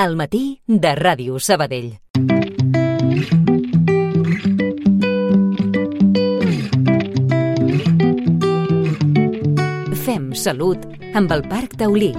Al matí de Ràdio Sabadell. Fem salut amb el Parc Taulí.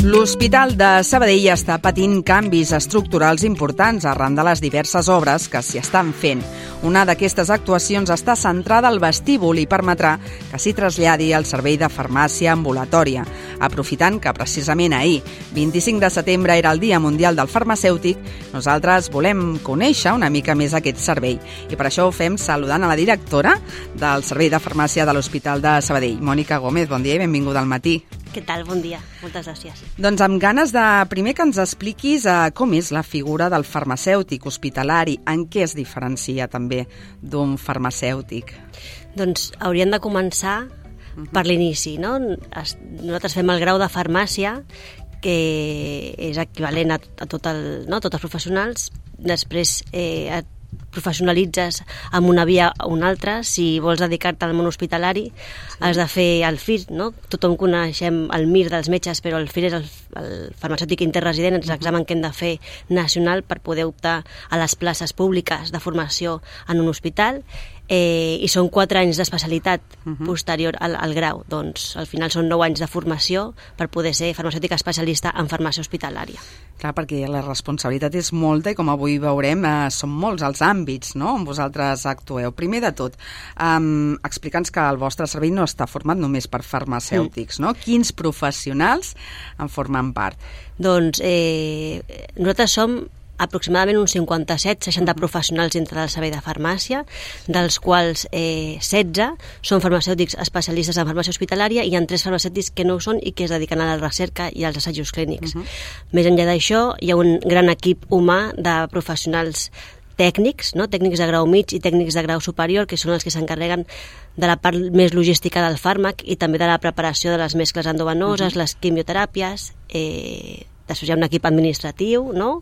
L'Hospital de Sabadell està patint canvis estructurals importants arran de les diverses obres que s'hi estan fent. Una d'aquestes actuacions està centrada al vestíbul i permetrà que s'hi traslladi el servei de farmàcia ambulatòria. Aprofitant que precisament ahir, 25 de setembre, era el Dia Mundial del Farmacèutic, nosaltres volem conèixer una mica més aquest servei. I per això ho fem saludant a la directora del Servei de Farmàcia de l'Hospital de Sabadell, Mònica Gómez. Bon dia i benvinguda al matí. Què tal? Bon dia. Moltes gràcies. Doncs amb ganes de primer que ens expliquis com és la figura del farmacèutic hospitalari, en què es diferencia també d'un farmacèutic. Doncs hauríem de començar per l'inici, no? Nosaltres fem el grau de farmàcia, que és equivalent a tots els professionals. Després et professionalitzes amb una via o una altra. Si vols dedicar-te al món hospitalari, has de fer el FIR, no? Tothom coneixem el MIR dels metges, però el FIR és el farmacèutic interresident, és l'examen que hem de fer nacional per poder optar a les places públiques de formació en un hospital, i són 4 anys d'especialitat posterior al grau. Doncs al final són 9 anys de formació per poder ser farmacèutic especialista en farmàcia hospitalària. Clar, perquè la responsabilitat és molta i com avui veurem són molts els àmbits, no?, on vosaltres actueu. Primer de tot, explica'ns que el vostre servei no està format només per farmacèutics, no? Quins professionals en formen part? Doncs nosaltres som aproximadament uns 57-60 professionals dintre del servei de farmàcia, dels quals 16 són farmacèutics especialistes en farmàcia hospitalària i hi ha 3 farmacèutics que no ho són i que es dediquen a la recerca i als assajos clínics. Més enllà d'això, hi ha un gran equip humà de professionals tècnics, no? Tècnics de grau mig i tècnics de grau superior, que són els que s'encarreguen de la part més logística del fàrmac i també de la preparació de les mescles endovenoses, les quimioteràpies. Després hi ha un equip administratiu, no?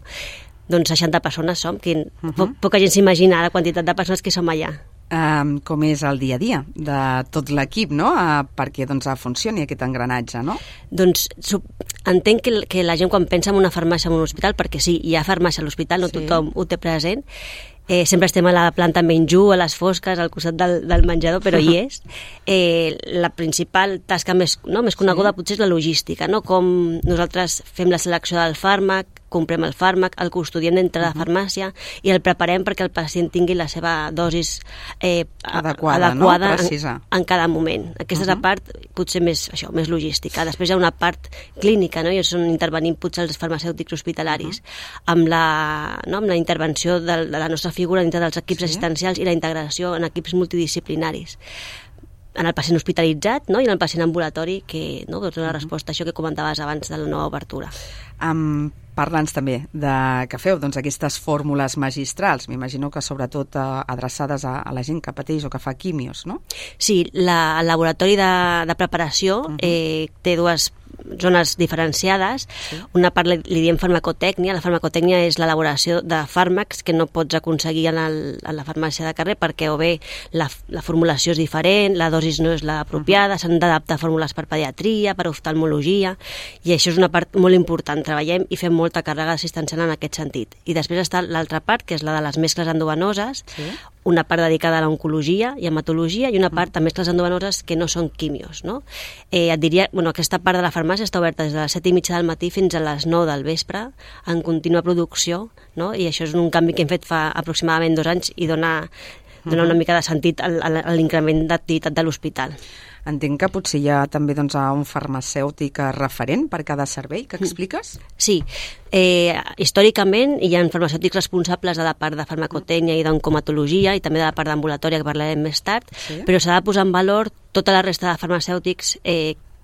Doncs 60 persones som, que poca gent s'imagina la quantitat de persones que som allà. Com és el dia a dia de tot l'equip, no?, perquè funcioni aquest engranatge, no? Doncs entenc que la gent quan pensa en una farmàcia en un hospital, perquè sí, hi ha farmàcia a l'hospital, no tothom ho té present, sempre estem a la planta menjú, a les fosques, al costat del menjador, però hi és. La principal tasca més coneguda potser és la logística, no? Com nosaltres fem la selecció del fàrmac, comprem el fàrmac, el custodiem dintre de la farmàcia i el preparem perquè el pacient tingui la seva dosis adequada, no? En cada moment. Aquesta és la part potser més logística. Després hi ha una part clínica, no? I és on intervenim potser els farmacèutics hospitalaris, amb la intervenció de la nostra figura dintre dels equips assistencials i la integració en equips multidisciplinaris. En el pacient hospitalitzat, no? I en el pacient ambulatori, que és una resposta a això que comentaves abans de la nova obertura. Parla'ns també de que feu aquestes fórmules magistrals, m'imagino que sobretot adreçades a la gent que pateix o que fa quimios, no? Sí, el laboratori de preparació té 2 zones diferenciades. Una part li diem farmacotècnia. La farmacotècnia és l'elaboració de fàrmacs que no pots aconseguir en la farmàcia de carrer perquè o bé la formulació és diferent, la dosis no és l'apropiada, s'han d'adaptar fórmules per pediatria, per oftalmologia, i això és una part molt important. Treballem i fem molta càrrega assistencial en aquest sentit. I després està l'altra part, que és la de les mescles endovenoses, una part dedicada a l'oncologia i hematologia i una part de mescles endovenoses que no són quimios, no? Et diria, aquesta part de la farmàcia està oberta des de les 7:30 del matí fins a les 9 del vespre en contínua producció, no? I això és un canvi que hem fet fa aproximadament 2 anys i dona una mica de sentit a l'increment d'activitat de l'hospital. Entenc que potser hi ha també un farmacèutic referent per cada servei, que expliques? Sí, històricament hi ha farmacèutics responsables de la part de farmacotècnia i d'oncomatologia i també de la part d'ambulatòria, que parlarem més tard, però s'ha de posar en valor tota la resta de farmacèutics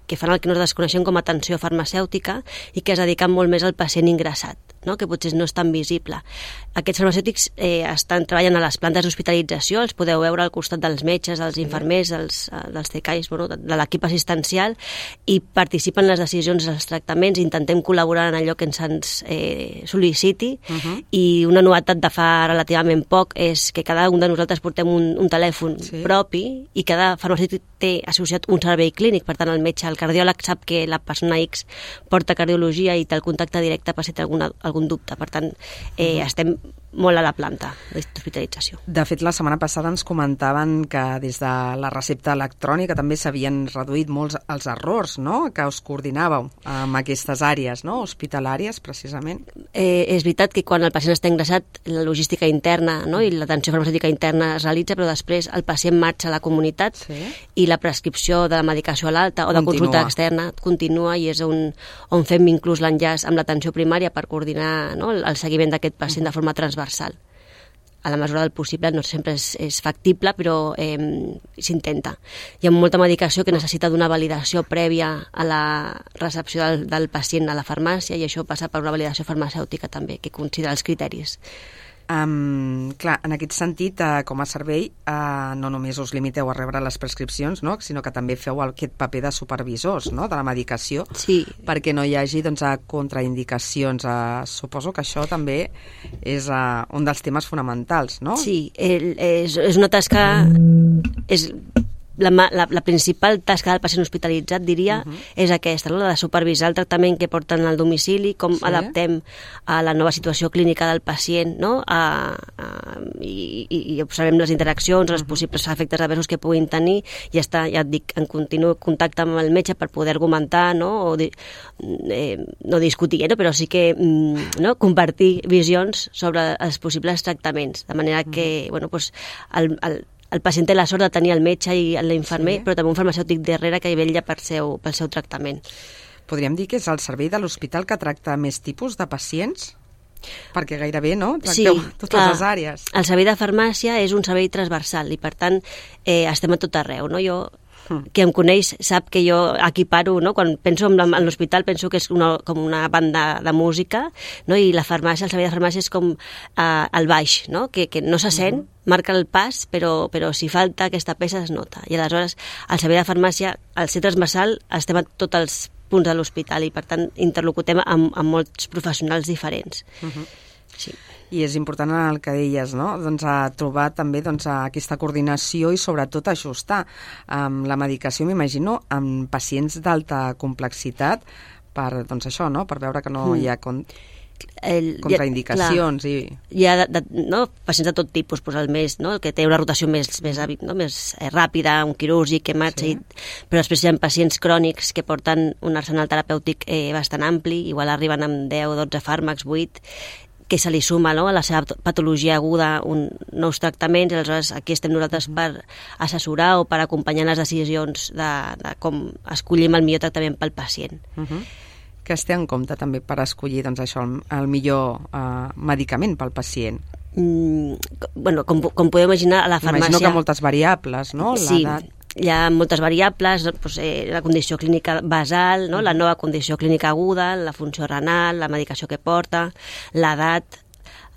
que fan el que nosaltres coneixem com a atenció farmacèutica i que es dediquen molt més al pacient ingressat, no? Que potser no és tan visible. Aquests farmacèutics estan treballant a les plantes d'hospitalització, els podeu veure al costat dels metges, dels infermers, dels TCAIs, bueno, de l'equip assistencial, i participen en les decisions dels tractaments, intentem col·laborar en allò que ens sol·liciti, i una novetat de fa relativament poc és que cada un de nosaltres portem un telèfon propi, i cada farmacèutic té associat un servei clínic. Per tant, el metge, el cardiòleg, sap que la persona X porta cardiologia i té el contacte directe per si té algun dubte. Per tant, estem molt a la planta d'hospitalització. De fet, la setmana passada ens comentaven que des de la recepta electrònica també s'havien reduït molts els errors, no?, que us coordinàveu amb aquestes àrees, no?, hospitalàries, precisament. És veritat que quan el pacient està ingressat, la logística interna, no?, i l'atenció farmacèutica interna es realitza, però després el pacient marxa a la comunitat i la prescripció de la medicació a l'alta o de consulta externa continua, i és on fem inclús l'enllaç amb l'atenció primària per coordinar, no?, el seguiment d'aquest pacient de forma transversal. A la mesura del possible, no sempre és factible, però s'intenta. Hi ha molta medicació que necessita d'una validació prèvia a la recepció del pacient a la farmàcia, i això passa per una validació farmacèutica també, que considera els criteris. Clar, en aquest sentit, com a servei, no només us limiteu a rebre les prescripcions, no?, sinó que també feu aquest paper de supervisors, no?, de la medicació, perquè no hi hagi contraindicacions. Suposo que això també és un dels temes fonamentals, no? Sí, és una tasca... La principal tasca del pacient hospitalitzat, diria, és aquesta, no?, la de supervisar el tractament que porten al domicili, com adaptem a la nova situació clínica del pacient, no?, i observem les interaccions, els possibles efectes adversos que puguin tenir, i ja et dic, en continu contacte amb el metge per poder argumentar, no?, no discutir, però sí que compartir visions sobre els possibles tractaments, de manera que, bueno, doncs, el pacient té la sort de tenir el metge i l'infermer, però també un farmacèutic darrere que hi vetlla pel seu tractament. Podríem dir que és el servei de l'hospital que tracta més tipus de pacients? Perquè gairebé, no?, tracteu totes les àrees. El servei de farmàcia és un servei transversal i, per tant, estem a tot arreu, no? Jo, que em coneix, sap que jo equiparo, no?, quan penso en l'hospital penso que és com una banda de música, no?, i la farmàcia, el servei de farmàcia és com el baix, no?, que no se sent, marca el pas, però si falta aquesta peça es nota. I aleshores el servei de farmàcia, al ser transversal, estem a tots els punts de l'hospital i, per tant, interlocutem amb molts professionals diferents. Sí. I és important el que deies, no?, doncs trobar també aquesta coordinació i sobretot ajustar la medicació, m'imagino, amb pacients d'alta complexitat per, doncs això, no?, per veure que no hi ha contraindicacions. Hi ha pacients de tot tipus, el que té una rotació més ràpida, un quirúrgic que marxa, però després hi ha pacients crònics que porten un arsenal terapèutic bastant ampli, igual arriben amb 10 o 12 fàrmacs, 8, que se li suma, no?, a la seva patologia aguda nous tractaments, i aleshores aquí estem nosaltres per assessorar o per acompanyar les decisions de com escollim el millor tractament pel pacient. Que es té en compte també per escollir, doncs, això, el millor medicament pel pacient? Bueno, com podeu imaginar, a la farmàcia... Imagino que moltes variables, no? Sí, hi ha moltes variables, la condició clínica basal, no?, la nova condició clínica aguda, la funció renal, la medicació que porta, l'edat,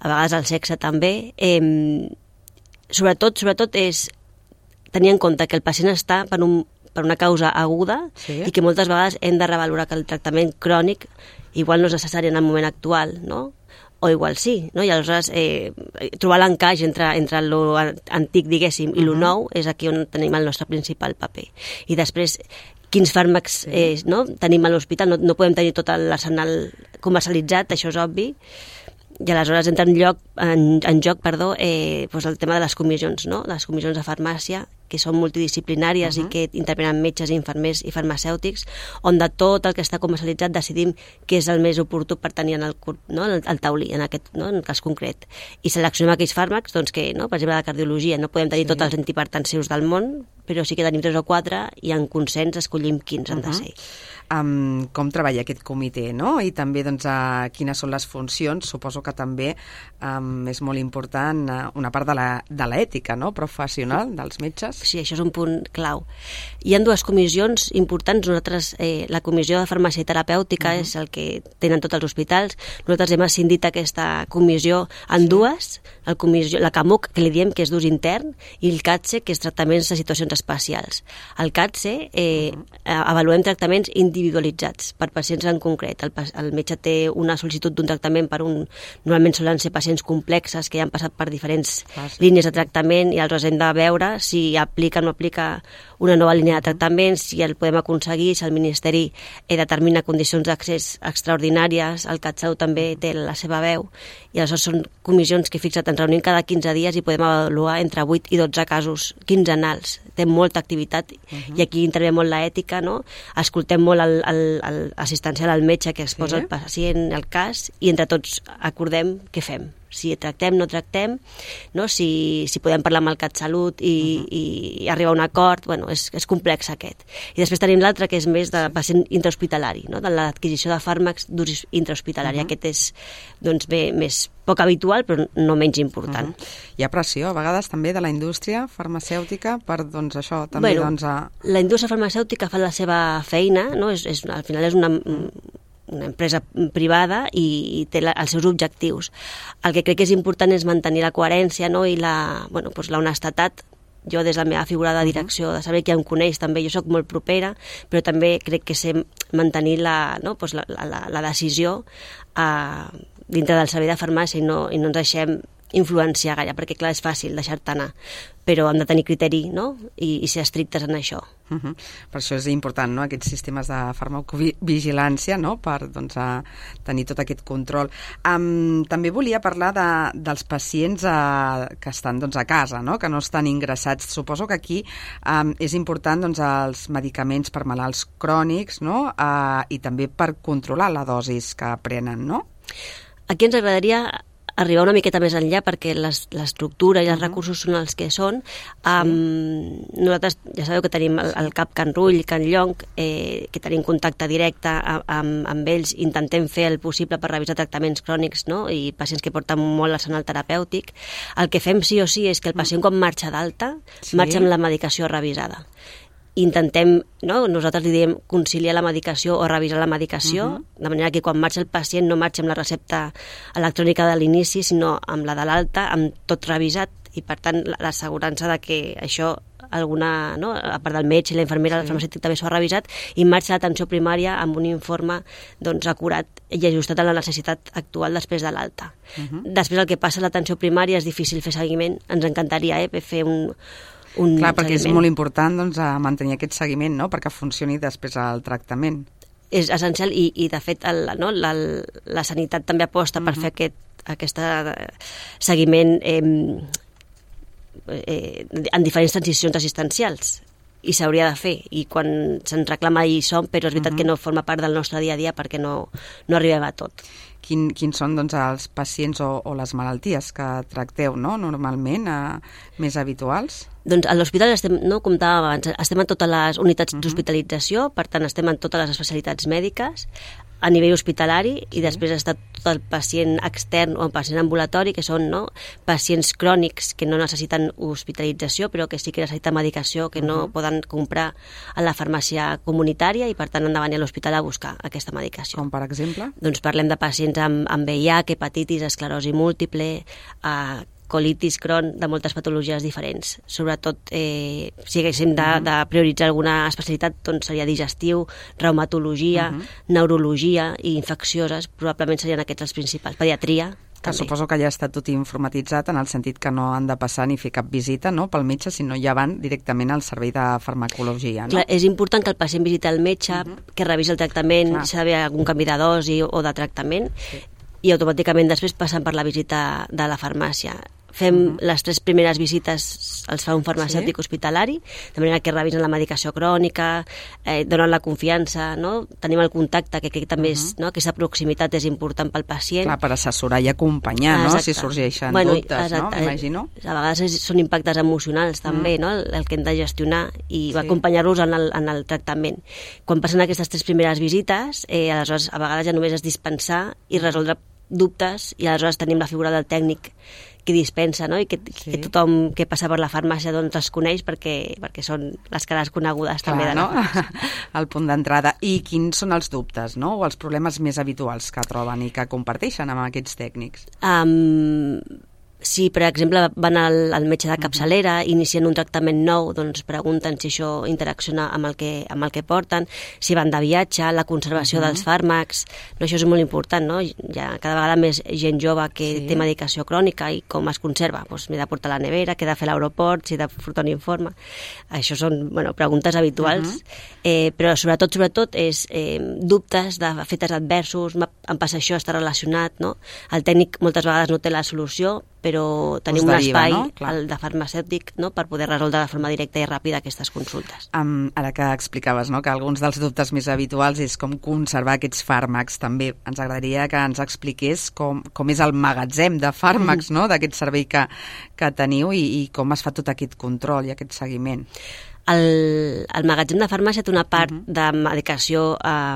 a vegades el sexe també. Sobretot és tenir en compte que el pacient està per una causa aguda i que moltes vegades hem de revalorar que el tractament crònic igual no és necessari en el moment actual, no?, o igual sí, no? I aleshores trobar l'encaix entre lo antic, diguéssim, i lo nou és aquí on tenim el nostre principal paper. I després, quins fàrmacs tenim a l'hospital, no podem tenir tot l'arsenal comercialitzat, això és obvi, i aleshores entra en joc el tema de les comissions, no?, les comissions de farmàcia, que són multidisciplinàries i que intervenen metges, infermers i farmacèutics, on de tot el que està comercialitzat decidim què és el més oportú per tenir en el taulí, en el cas concret. I seleccionem aquells fàrmacs, doncs, que, per exemple, la cardiologia, no podem tenir tots els antihipertensius del món, però sí que tenim 3 o 4 i en consens escollim quins han de ser. com treballa aquest comitè, no? I també doncs, quines són les funcions. Suposo que també és molt important una part de l'ètica, no? Professional dels metges. Sí, això és un punt clau. Hi ha dues comissions importants. Nosaltres, la Comissió de Farmàcia i Terapèutica és el que tenen tots els hospitals. Nosaltres hem escindit aquesta comissió en dues, la CAMUC, que li diem que és d'ús intern, i el CATSE, que és tractaments de situacions especials. El CATSE avaluem tractaments individualitzats per pacients en concret. El metge té una sol·licitud d'un tractament normalment solen ser pacients complexes que ja han passat per diferents línies de tractament i aleshores hem de veure si aplica o no aplica una nova línia de tractament, si el podem aconseguir, si el Ministeri determina condicions d'accés extraordinàries, el CatSalut també té la seva veu, i aleshores són comissions que fixa't, ens reunim cada 15 dies i podem avaluar entre 8 i 12 casos quinzenals. Té molta activitat i aquí intervé molt l'ètica, no? Escoltem molt l'assistencial al metge que exposa el pacient, el cas, i entre tots acordem què fem. Si tractem, no tractem, no? Si podem parlar amb el CatSalut i arribar a un acord, bueno, és complex aquest. I després tenim l'altre que és més de pacient intrahospitalari, no? De l'adquisició de fàrmacs d'ús intrahospitalari. Aquest és doncs, més poc habitual, però no menys important. Hi ha pressió, a vegades, també de la indústria farmacèutica per, doncs, això, també, La indústria farmacèutica fa la seva feina, no? Al final és una empresa privada i té els seus objectius. El que crec que és important és mantenir la coherència, no? I la honestedat. Jo, des de la meva figura de direcció, de saber qui em coneix, també jo sóc molt propera, però també crec que sé mantenir la decisió dintre del servei de farmàcia i no ens deixem influenciar gaire, perquè clar, és fàcil deixar-te anar, però hem de tenir criteri, no? I ser estrictes en això. Per això és important, no? Aquests sistemes de farmacovigilància, no? Per doncs, tenir tot aquest control. També volia parlar dels pacients que estan doncs, a casa, no? Que no estan ingressats. Suposo que aquí és important doncs, els medicaments per malalts crònics, no? I també per controlar la dosis que prenen, no? Aquí ens agradaria arribar una miqueta més enllà perquè l'estructura i els recursos són els que són. Nosaltres ja sabeu que tenim el CAP Can Rull, Can Llonc, que tenim contacte directe amb ells, intentem fer el possible per revisar tractaments crònics, no? I pacients que porten molt l'arsenal terapèutic. El que fem sí o sí és que el pacient quan marxa d'alta marxa amb la medicació revisada. Intentem, no? Nosaltres li diem conciliar la medicació o revisar la medicació, de manera que quan marxa el pacient no marxa amb la recepta electrònica de l'inici, sinó amb la de l'alta, amb tot revisat, i per tant l'assegurança de que això alguna, no? A part del metge i la infermera, el farmacèutic també s'ho ha revisat, i marxa l'atenció primària amb un informe doncs, acurat i ajustat a la necessitat actual després de l'alta. Després el que passa a l'atenció primària és difícil fer seguiment, ens encantaria fer un clar, perquè seguiment. És molt important doncs, mantenir aquest seguiment, no? Perquè funcioni després el tractament. És essencial i de fet la sanitat també aposta per fer aquest seguiment en diferents transicions assistencials, i s'hauria de fer, i quan se'n reclama hi som, però és veritat que no forma part del nostre dia a dia perquè no arribem a tot. Quins són doncs, els pacients o les malalties que tracteu, no? Normalment, més habituals? Doncs a l'hospital estem, no, com comentàvem abans, estem en totes les unitats d'hospitalització, per tant estem en totes les especialitats mèdiques a nivell hospitalari, i després està tot el pacient extern o el pacient ambulatori, que són, no, pacients crònics que no necessiten hospitalització però que sí que necessiten medicació que no poden comprar a la farmàcia comunitària i per tant han de venir a l'hospital a buscar aquesta medicació. Com per exemple? Doncs parlem de pacients amb VIH, hepatitis, esclerosi múltiple, colitis, Crohn, de moltes patologies diferents. Sobretot, si haguéssim de prioritzar alguna especialitat, doncs seria digestiu, reumatologia, neurologia i infeccioses, probablement serien aquests els principals. Pediatria, que també. Suposo que ja està tot informatitzat en el sentit que no han de passar ni fer cap visita, no?, pel metge, sinó ja van directament al servei de farmacologia, no? Clar, és important que el pacient visiti el metge, que revisi el tractament, si ha d'haver algun canvi de dosi o de tractament, i automàticament després passen per la visita de la farmàcia. fem les 3 primeres visites, els fa un farmacèutic hospitalari, de manera que revisen la medicació crònica, donen la confiança, no? Tenim el contacte, que també és, no? Aquesta proximitat és important pel pacient. Clar, per assessorar i acompanyar, no? Si sorgeixen dubtes, no? M'imagino. A vegades són impactes emocionals també, no? El que hem de gestionar i acompanyar-los en el tractament. Quan passen aquestes 3 primeres visites, aleshores a vegades ja només és dispensar i resoldre dubtes, i aleshores tenim la figura del tècnic que dispensa, no? I que tothom que passa per la farmàcia doncs es coneix perquè són les cares conegudes. Clar, també de la farmàcia. El punt d'entrada. I quins són els dubtes, no? O els problemes més habituals que troben i que comparteixen amb aquests tècnics? Si, per exemple, van al metge de capçalera, inicien un tractament nou, doncs pregunten si això interacciona amb el que porten, si van de viatge, la conservació dels fàrmacs, no, això és molt important, no? Hi ha cada vegada més gent jove que té medicació crònica i com es conserva. Doncs m'he de portar a la nevera, què he de fer a l'aeroport, si he de portar un informe. Això són preguntes habituals, però sobretot és dubtes d'efectes adversos, em passa això, està relacionat, no? El tècnic moltes vegades no té la solució, però tenim un espai, el de farmacèutic, no? Per poder resoldre de forma directa i ràpida aquestes consultes. Ara que explicaves, no? Que alguns dels dubtes més habituals és com conservar aquests fàrmacs. També ens agradaria que ens expliqués com és el magatzem de fàrmacs, no? D'aquest servei que teniu i com es fa tot aquest control i aquest seguiment. El magatzem de farmàcia té una part de medicació a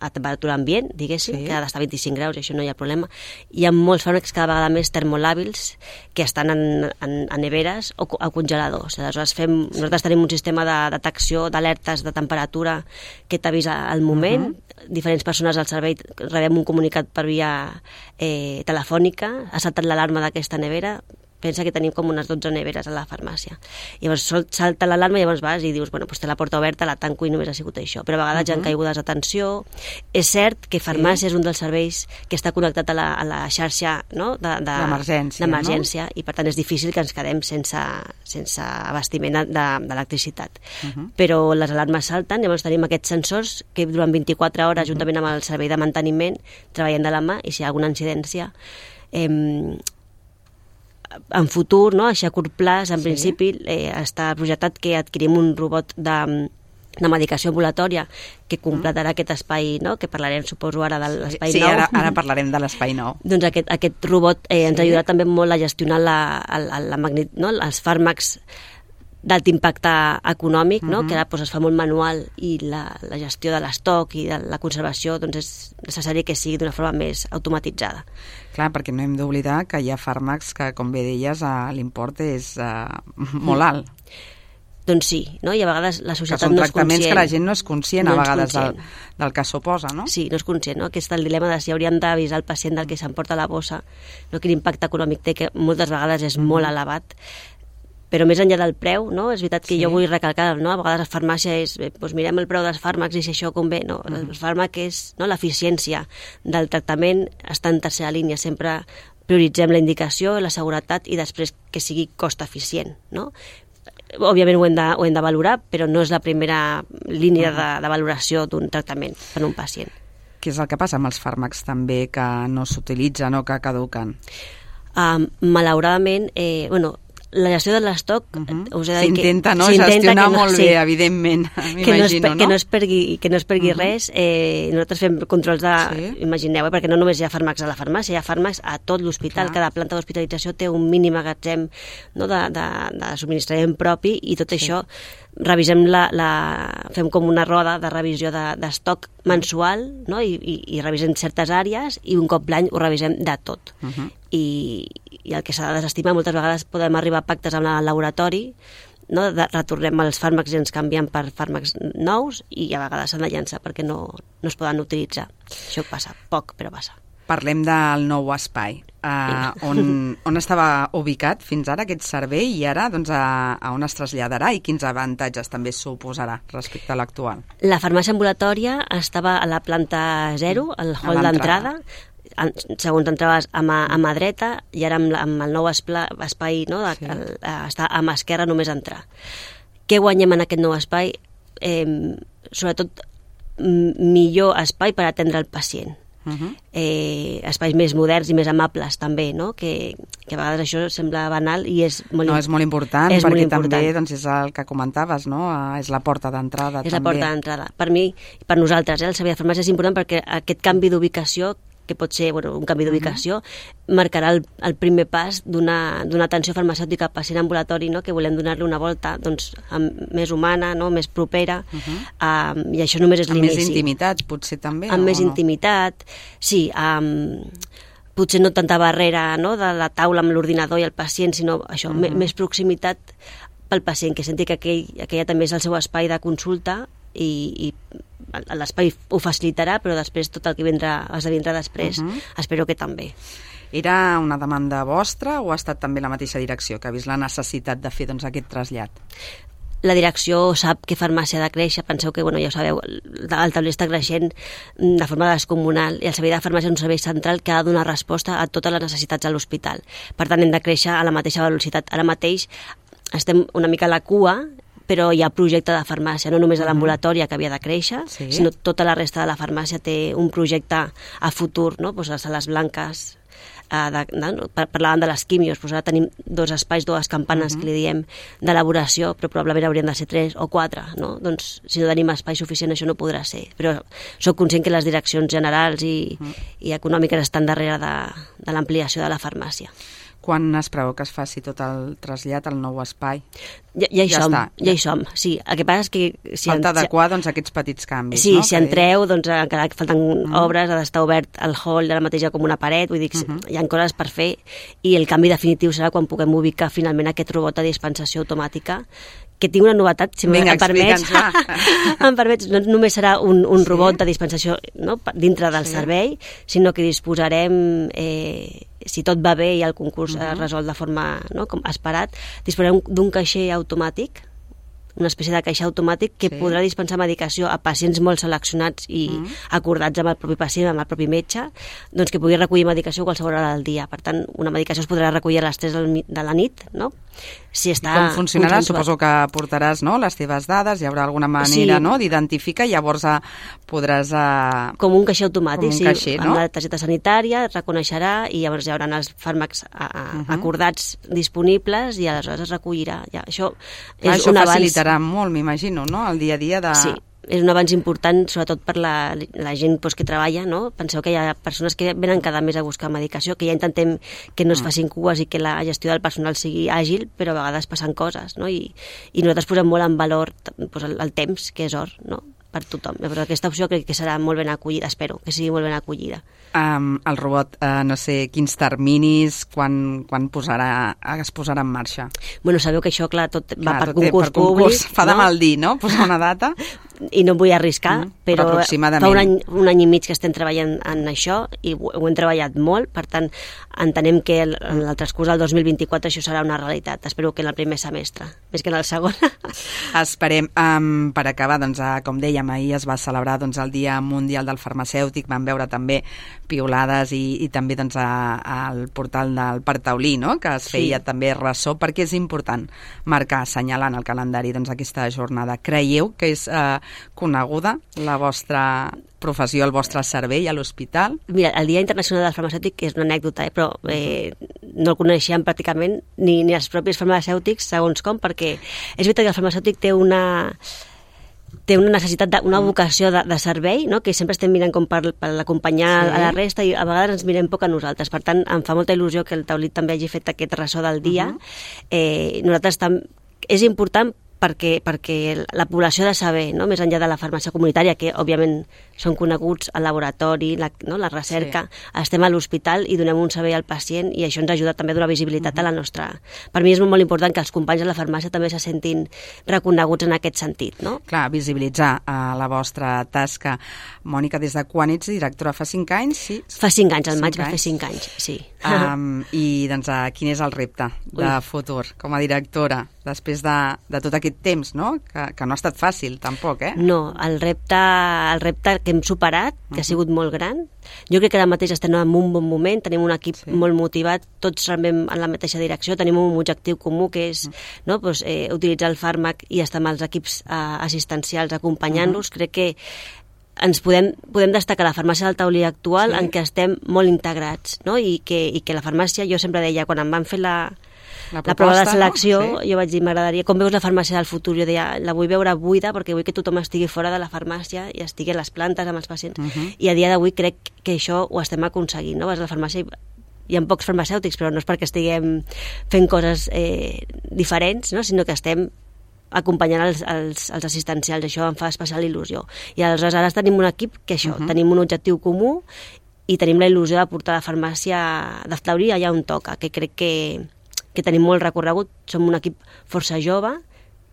temperatura ambient, diguéssim, que ha d'estar a 25 graus, i això no hi ha problema. Hi ha molts fàrmacs cada vegada més termolàbils que estan en neveres o a congeladors. Aleshores nosaltres tenim un sistema de detecció d'alertes de temperatura que t'avisa al moment. Diferents persones al servei rebem un comunicat per via telefònica, ha saltat l'alarma d'aquesta nevera. Pensa que tenim com unes 12 neveres a la farmàcia. Llavors salta l'alarma i llavors vas i dius, doncs té la porta oberta, la tanco i només ha sigut això. Però a vegades hi ha caigudes d'atenció. És cert que farmàcia és un dels serveis que està connectat a la xarxa, no? d'emergència, no? I per tant és difícil que ens quedem sense abastiment d'electricitat. Però les alarmes salten, llavors tenim aquests sensors que durant 24 hores, juntament amb el servei de manteniment, treballen de la mà, i si hi ha alguna incidència, en futur, no? Així a curt plaç, en principi, està projectat que adquirim un robot de medicació ambulatòria que completarà aquest espai, no? Que parlarem, suposo, ara de l'espai nou. Sí, ara parlarem de l'espai nou. Doncs aquest robot ens ajudarà també molt a gestionar els fàrmacs d'alt impacte econòmic, no? Que ara es fa molt manual, i la gestió de l'estoc i de la conservació és necessari que sigui d'una forma més automatitzada. Clar, perquè no hem d'oblidar que hi ha fàrmacs que, com bé deies, l'import és molt alt. Doncs sí, no? I a vegades la societat no és conscient. Que són tractaments que la gent no és conscient a vegades del que suposa, no? Sí, no és conscient, no? Aquest és el dilema de si hauríem d'avisar el pacient del que s'emporta a la bossa, no? Quin impacte econòmic té, que moltes vegades és molt elevat. Però més enllà del preu, no? És veritat que jo vull recalcar, no? A vegades la farmàcia és, doncs mirem el preu dels fàrmacs i si això convé. No, el fàrmac és, no? L'eficiència del tractament està en tercera línia. Sempre prioritzem la indicació, la seguretat i després que sigui cost eficient, no? Òbviament ho hem de valorar, però no és la primera línia de valoració d'un tractament per a un pacient. Què és el que passa amb els fàrmacs també que no s'utilitzen o que caduquen? Malauradament, la gestió de l'estoc, us he de dir que s'intenta gestionar molt bé, evidentment, m'imagino, no? Que no es perdi res. Nosaltres fem controls imagineu, perquè no només hi ha fàrmacs a la farmàcia, hi ha fàrmacs a tot l'hospital. Cada planta d'hospitalització té un mínim magatzem, no? de subministrament propi, i tot això revisem fem com una roda de revisió d'estoc mensual, no? I revisem certes àrees, i un cop l'any ho revisem de tot. I el que s'ha de desestimar, moltes vegades podem arribar a pactes amb el laboratori, no? Retornem els fàrmacs i ens canvien per fàrmacs nous, i a vegades s'han de llançar perquè no es poden utilitzar. Això passa, poc, però passa. Parlem del nou espai, on estava ubicat fins ara aquest servei, i ara a on es traslladarà i quins avantatges també suposarà respecte a l'actual. La farmàcia ambulatòria estava a la planta 0, al hall d'entrada. Segons entraves a mà dreta, i ara amb el nou espai, no? Està a mà esquerra, només entrar. Què guanyem en aquest nou espai? Sobretot millor espai per atendre el pacient. espais més moderns i més amables també, no? Que a vegades això sembla banal i és molt, és molt important, perquè també doncs, és el que comentaves, no? És la porta d'entrada. És la porta d'entrada. Per mi, per nosaltres, el servei de farmàcia és important perquè aquest canvi d'ubicació, que pot ser un canvi d'ubicació, marcarà el primer pas d'una atenció farmacèutica al pacient ambulatori, no? Que volem donar-li una volta més humana, no? Més propera, i això només és l'inici. Amb més intimitat, potser també? Amb més intimitat, sí, potser no tanta barrera, no? De la taula amb l'ordinador i el pacient, sinó això, més proximitat pel pacient, que senti que aquella també és el seu espai de consulta i l'espai ho facilitarà, però després tot el que esdevindrà després espero que també. Era una demanda vostra o ha estat també la mateixa direcció que ha vist la necessitat de fer aquest trasllat? La direcció sap que farmàcia ha de créixer, penseu que, ja ho sabeu, el taulell està creixent de forma descomunal i el servei de farmàcia és un servei central que ha de donar resposta a totes les necessitats de l'hospital. Per tant, hem de créixer a la mateixa velocitat. Ara mateix estem una mica a la cua, però hi ha projecte de farmàcia, no només de l'ambulatòria que havia de créixer, sinó tota la resta de la farmàcia té un projecte a futur, no? Les sales blanques, parlàvem de les quimios, ara tenim 2 espais, 2 campanes que li diem d'elaboració, però probablement haurien de ser 3 o 4, no? Doncs si no tenim espai suficient això no podrà ser, però soc conscient que les direccions generals i econòmiques estan darrere de l'ampliació de la farmàcia. Quan es preveu que es faci tot el trasllat al nou espai? Ja hi som, sí. El que passa és que... Falta adequar aquests petits canvis, sí, no? Si entreu, encara que falten obres, ha d'estar obert el hall de la mateixa com una paret, vull dir que hi ha coses per fer, i el canvi definitiu serà quan puguem ubicar finalment aquest robot de dispensació automàtica, que tinc una novetat, si em permets. Em permets, no només serà un robot de dispensació, no, dintre del servei, sinó que disposarem, si tot va bé i el concurs es resol de forma, no, com esperat, disposarem d'un caixer automàtic, una espècie de caixer automàtic que podrà dispensar medicació a pacients molt seleccionats i acordats amb el propi pacient, amb el propi metge, doncs que pugui recollir medicació a qualsevol hora del dia. Per tant, una medicació es podrà recollir a les 3 de la nit, no? Si està... I com funcionarà? Suposo que portaràs, no, les teves dades, hi haurà alguna manera, no, d'identificar, llavors podràs... Com un caixer automàtic, caixer, amb la targeta sanitària, et reconeixerà i llavors hi haurà els fàrmacs acordats disponibles i aleshores es recollirà. Això és un avanç. Facilitarà molt, m'imagino, no?, el dia a dia de... Sí, és un avanç important, sobretot per la gent que treballa, no? Penseu que hi ha persones que venen cada mes a buscar medicació, que ja intentem que no es facin cues i que la gestió del personal sigui àgil, però a vegades passen coses, no? I nosaltres posem molt en valor el temps, que és or, no?, per tothom. Però aquesta opció crec que serà molt ben acollida, espero que sigui molt ben acollida. El robot, no sé quins terminis, quan es posarà en marxa? Bueno, sabeu que això, clar, tot va per concurs públic. Fa de mal dir, no?, posar una data. I no em vull arriscar, però fa un any i mig que estem treballant en això i ho hem treballat molt, per tant, entenem que en el transcurs del 2024 això serà una realitat. Espero que en el primer semestre, més que en el segon. Esperem. Per acabar, doncs, com dèiem, ahir es va celebrar el Dia Mundial del Farmacèutic, vam veure també piulades i també al portal del Parc Taulí, no?, que es feia també ressò, perquè és important marcar, assenyalar en el calendari aquesta jornada. Creieu que és coneguda la vostra professió, el vostre servei a l'hospital? Mira, el Dia Internacional del Farmacèutic és una anècdota, però no el coneixíem pràcticament ni els propis farmacèutics, segons com, perquè és veritat que el farmacèutic té una necessitat, una vocació de servei, no?, que sempre estem mirant com per l'acompanyar a la resta i a vegades ens mirem poc a nosaltres. Per tant, em fa molta il·lusió que el Taulí també hagi fet aquest ressò del dia. Nosaltres és important perquè la població ha de saber, no?, més enllà de la farmàcia comunitària, que òbviament són coneguts al laboratori, la recerca, estem a l'hospital i donem un servei al pacient i això ens ajuda també a donar visibilitat a la nostra... Per mi és molt important que els companys de la farmàcia també se sentin reconeguts en aquest sentit, no? Clar, visibilitzar la vostra tasca. Mònica, des de quan ets directora? Fa 5 anys? Sí? Fa 5 anys, al maig va fer 5 anys, sí. I doncs quin és el repte de futur com a directora després de tot aquest temps, no? Que no ha estat fàcil, tampoc, eh? No, el repte que hem superat, que ha sigut molt gran. Jo crec que ara mateix estem en un bon moment, tenim un equip molt motivat, tots remem en la mateixa direcció, tenim un objectiu comú que és utilitzar el fàrmac i estar amb els equips assistencials acompanyant-los. Crec que ens podem destacar la farmàcia del Taulí actual en què estem molt integrats, no? I que la farmàcia, jo sempre deia, quan em van fer la prova de selecció, no? Jo vaig dir, m'agradaria, com veus la farmàcia del futur? Jo deia, la vull veure buida perquè vull que tothom estigui fora de la farmàcia i estigui a les plantes amb els pacients. I a dia d'avui crec que això ho estem aconseguint, no? Vas a la farmàcia hi ha pocs farmacèutics, però no és perquè estiguem fent coses diferents, no? Sinó que estem acompanyant els assistencials. Això em fa especial il·lusió. I aleshores ara tenim un equip que això, tenim un objectiu comú i tenim la il·lusió de portar la farmàcia de Taulí allà on toca, que crec que tenim molt recorregut, som un equip força jove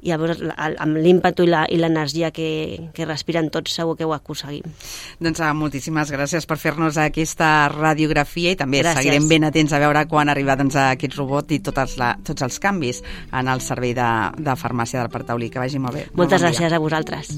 i llavors amb l'ímpetu i l'energia que respiren tots segur que ho aconseguim. Doncs moltíssimes gràcies per fer-nos aquesta radiografia i també seguirem ben atents a veure quan arriba aquest robot i tots els canvis en el servei de farmàcia del Parc Taulí. Que vagi molt bé. Moltes gràcies a vosaltres.